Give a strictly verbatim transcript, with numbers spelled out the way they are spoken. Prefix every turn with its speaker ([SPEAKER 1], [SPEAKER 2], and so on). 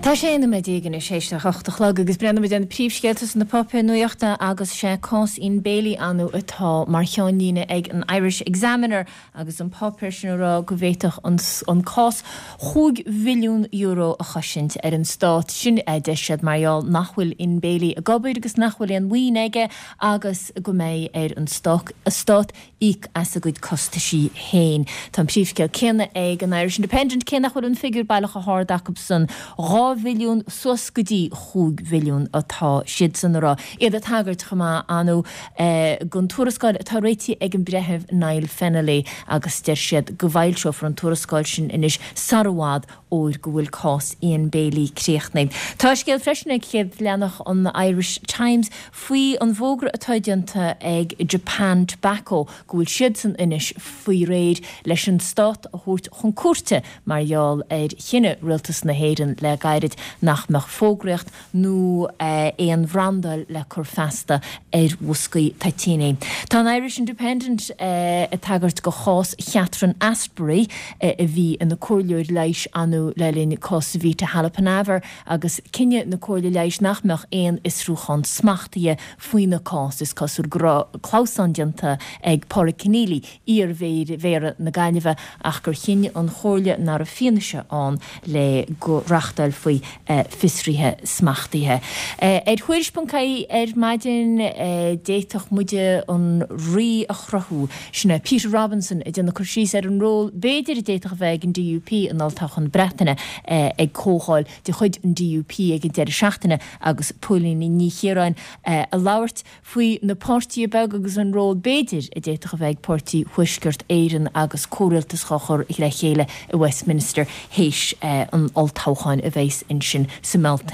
[SPEAKER 1] Tá sé nóiméad déag anois théis a hocht a chlog agus breathnóimid ar na príomhscéalta sna páipéir nuachta agus sé cás Ian Bailey anu atá mar cheannlíne ag an Irish Examiner agus an páipéar sin ag rá go bhféadfadh an, an cás chúig mhilliún euro a chosaint ar an stát sin a deir siad mar gheall nach bhfuil Ian Bailey ag obair agus nach bhfuil aon mhaoin aige agus go mbeidh ar an stát, stát íoc as a gcuid costaisí féin. Tá an príomhscéal céanna ag an Irish Independent cé nach bhfuil an figiúr baileach chomh hard acusan dhá mhilliún suas go dtí chúig mhilliún atá siadsan ag rá. Iad ag tagairt chomh maith anu eh, don tuarascáil atá réitithe ag an breitheamh Niall Fennelly agus deir siad go bhfoilseofar an tuarascáil sin anois sar i bhfad óir go bhfuil cás Ian Bailey críochnaithe. Tá scéal freisin ag chéad leathanach an Irish Times faoi an bhfógra atá déanta ag Japan Tobacco go bhfuil siadsan anois faoi réir leis an stát a thabhairt chun cúirte mar gheall ar chinneadh rialtas na hÉireann le gairid nach mbeadh fógraíocht nó eh, aon bhrandáil le cur feasta ar bhoscaí toitíní. Tá an Irish Independent eh, ag tagairt do chás Catherine Astbury eh, a bhí ina comhairleoir leighis anu le linn cás Vita Halappanavar agus cinneadh na Comhairle Leighis nach mbeadh aon fhiosrúchán smachtaithe faoina cás is cosúil go raibh clamhsán déanta ag Pádraig Conneely iar-mhéara na Gaillimhe ach gur chinn an Chomhairle nach raibh fianaise ann le go reáchtálfaí eh, fiosruithe smachtaithe. Eh, ar Thuairisc.ie ar maidin eh, d'fhéadfadh muide an rí a chruthú sin é Peter Robinson ag déanamh cur síos ar an ról b'fhéidir a d'fhéadfadh a bheith ag an DUP in olltoghchán Breataine eh, ag comhdháil de chuid an DUP ag an deireadh seachtaine agus Póilín Ní Chiaráin eh, ag labhairt faoi na páirtithe beaga agus an ról b'fhéidir a d'fhéadfadh a bheith ag Páirtí Thuaisceart Éireann agus comhrialtas á chur le chéile i Westminster théis eh, an olltoghcháin a bheas ansin sa mBealtaine.